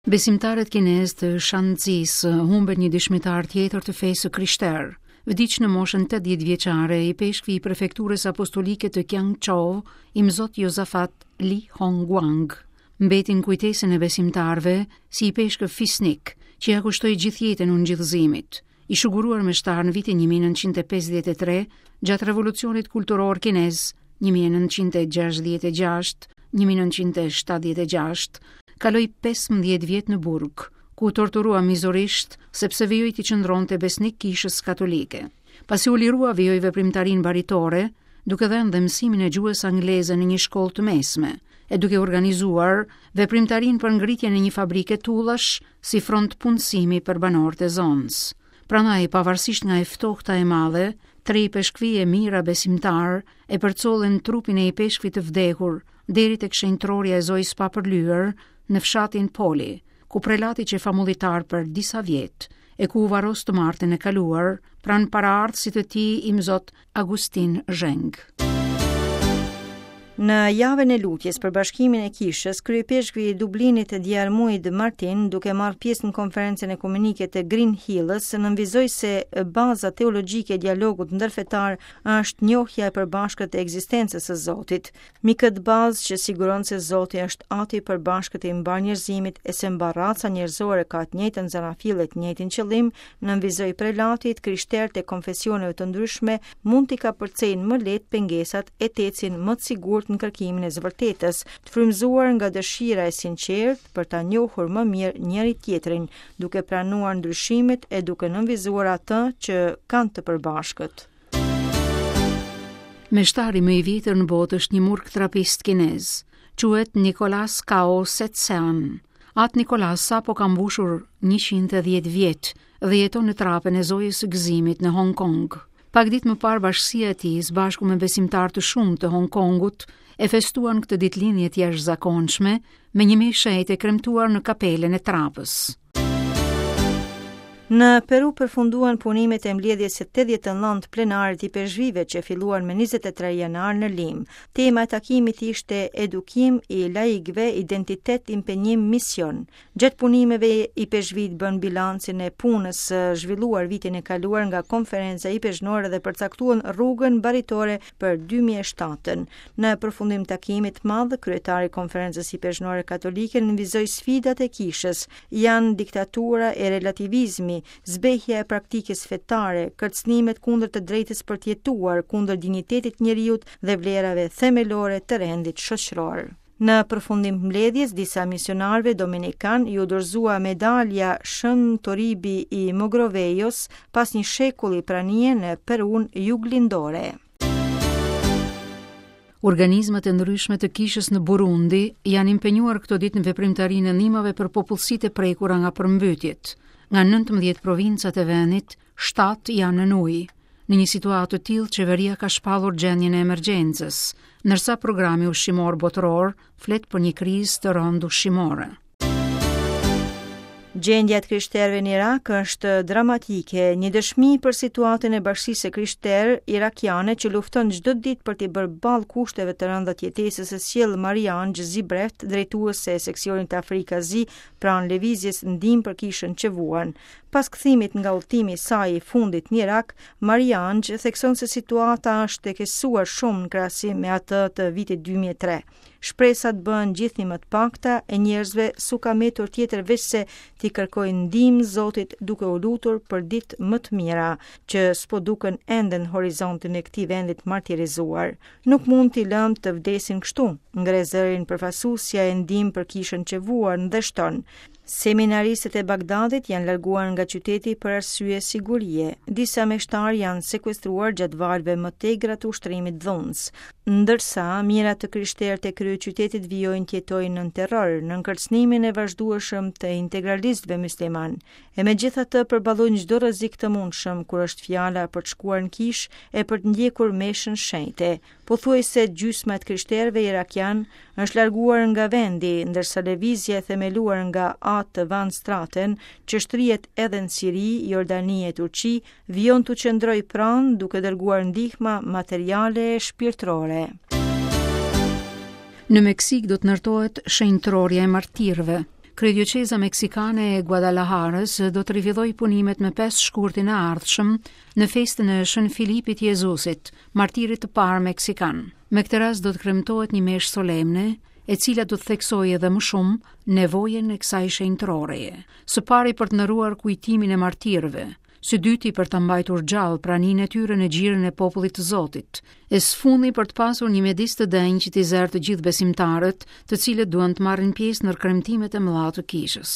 Besimtarët kinezë të Shanxisë humbën një dëshmitar tjetër të fesë së krishterë. Vdiq në moshën 80 vjeçare ipeshkvi i prefekturës apostolike të Qiangzhou, imzot Josafat Li Hongguang. Mbeti në kujtesën e besimtarëve si ipeshkëv fisnik, që ia kushtoi gjithë jetën ungjillëzimit. I shuguruar meshtar në vitin 1953, gjatë revolucionit kulturor kinez 1966-1976, kaloi 15 vjet në burg, ku u torturua mizorisht sepse vijoi t'i qëndronte besnik kishës katolike. Pasi u lirua, vijoi veprimtarinë baritore, duke dhënë dhe mësimin e gjuhës angleze në një shkollë të mesme, e duke organizuar veprimtarinë për ngritjen e një fabrike tullash si front punësimi për banorët e zonës. Prandaj, pavarësisht nga e ftohta e madhe, tre ipeshkvij e mijëra besimtarë e përcollën trupin e ipeshkvit të vdekur deri tek shenjtërorja e Zojës së Papërlyer në fshatin Poli, ku prelati qe famullitar për disa vjet e ku u varros të martën e kaluar pranë paraardhësit të tij imzot Agustin Zheng. Në javën e lutjes për bashkimin e kishës, kryeipeshkvi i Dublinit Diarmuid Martin, duke marrë pjesë në konferencën ekumenike të Green Hills, nënvizoi se baza teologjike e dialogut ndërfetar është njohja e përbashkët e ekzistencës së Zotit. Mbi këtë bazë që siguron se Zoti është ati i përbashkët i mbarë njerëzimit e se mbarë raca njerëzore ka të njëjtën zanafillë e të njëjtin qëllim, nënvizoi prelati, të krishterët e konfesioneve të ndryshme mund t'i kapërcejnë më lehtë pengesat e të ecin më të sigurt në kërkimin e së vërtetës, të frymëzuar nga dëshira e sinqertë për ta njohur më mirë njëri-tjetrin, duke pranuar ndryshimet e duke nënvizuar atë që kanë të përbashkët. Meshtari më i vjetër në botë është një murg trapist kinez. Quhet Nikolas Kao Setsean. Atë Nikolas sapo ka mbushur 110 vjet dhe jeton në trapën e Zojës së Gëzimit në Hong Kong. Pak ditë më parë bashkësia e tij, së bashku me besimtarë të shumtë të Hong Kongut, e festuan këtë ditëlindje të jashtëzakonshme me një meshë të shenjtë e kremtuar në kapelën e trapës. Në Peru përfunduan punimet e mbledhjes së 89 plenare të ipeshkvijve që filluan me 23 janar në Limë. Tema e takimit ishte edukim i laikëve, identitet, impenjim, mision. Gjatë punimeve ipeshkvijtë bënë bilancin e punës së zhvilluar vitin e kaluar nga konferenca ipeshkvnore dhe përcaktuan rrugën baritore për 2007-ën. Në përfundim të takimit të madh, kryetari i Konferencës Ipeshkvnore Katolike nënvizoi sfidat e kishës, janë diktatura e relativizmi, zbehja e praktikës fetare, kërcënimet kundër të drejtës për të jetuar, kundër dinjitetit të njeriut dhe vlerave themelore të rendit shoqëror. Në përfundim të mbledhjes, disa misionarëve dominikanë iu dorëzua medalja Shën Toribi i Mogrovejos pas një shekulli pranie në Perunë juglindore. Organizmat e ndryshme të kishës në Burundi janë impenjuar këto ditë në veprimtarinë e ndihmave për popullsitë e prekura nga përmbytjet. Nga 19 provincat e vendit, 7 janë nën ujë. Në një situatë të tillë, qeveria ka shpallur gjendjen e emergjencës, ndërsa programi ushqimor botëror flet për një krizë të rëndë ushqimore. Gjendja e të krishterëve në Irak është dramatike, një dëshmi për situatën e bashkësisë së krishterë irakiane që lufton çdo ditë për t'i bërë ballë kushteve të rënda të jetesës e sjell Mariange Zibrecht, drejtuese e seksionit Afrika-Azi pranë lëvizjes Ndihmë për Kishën që vuan. Pas kthimit nga udhëtimi i saj i fundit në Irak, Mariange thekson se situata është përkeqësuar shumë në krahasim me atë të vitit 2003. Shpresat bëhen gjithnjë më të pakta e njerëzve s'u ka mbetur tjetër veçse t'i kërkojnë ndihmë Zotit duke u lutur për ditë më të mira, që s'po duken ende në horizontin e këtij vendi të martirizuar. Nuk mund t'i lëmë të vdesin kështu, ngre zërin përfaqësuesja e Ndihmë për Kishën që vuan dhe shton. Seminaristët e Bagdadit janë larguar nga qyteti për arsye sigurie. Disa meshtarë janë sekuestruar gjatë valëve më të egra të ushtrimit dhunës. Ndërsa, mijëra të krishterë të kryeqytetit vijojnë të jetojnë nën terror, nën kërcënimin e vazhdueshëm të integralistëve myslimanë. E megjithatë përballojnë çdo rrezik të mundshëm kur është fjala për të shkuar në kishë e për të ndjekur meshën shenjte. Pothuajse gjysma e të krishterëve irakianë është larguar nga vendi, ndërsa lëvizja e themeluar nga Atë Van Straten, që shtrihet edhe në Siri, Jordani e Turqi, vijon t'u qëndrojë pranë duke dërguar ndihma materiale e shpirtërore. Në Meksikë do të ndërtohet shenjtërorja e martirëve. Kryedioqeza meksikane e Guadalajarës do të rifillojë punimet me 5 shkurtin e ardhshëm në festën e Shën Filipit Jezusit, martirit të parë meksikan. Me këtë rast do të kremtohet një meshë solemne, e cila do të theksojë edhe më shumë nevojën e kësaj shenjtëroreje. Së pari për të nderuar kujtimin e martirëve, së dyti për ta mbajtur gjallë praninë e tyre në gjirin e popullit të Zotit, e së fundi për të pasur një mjedis të denjë që t'i zërë të gjithë besimtarët, të cilët duan të marrin pjesë në kremtimet e mëdha të kishës.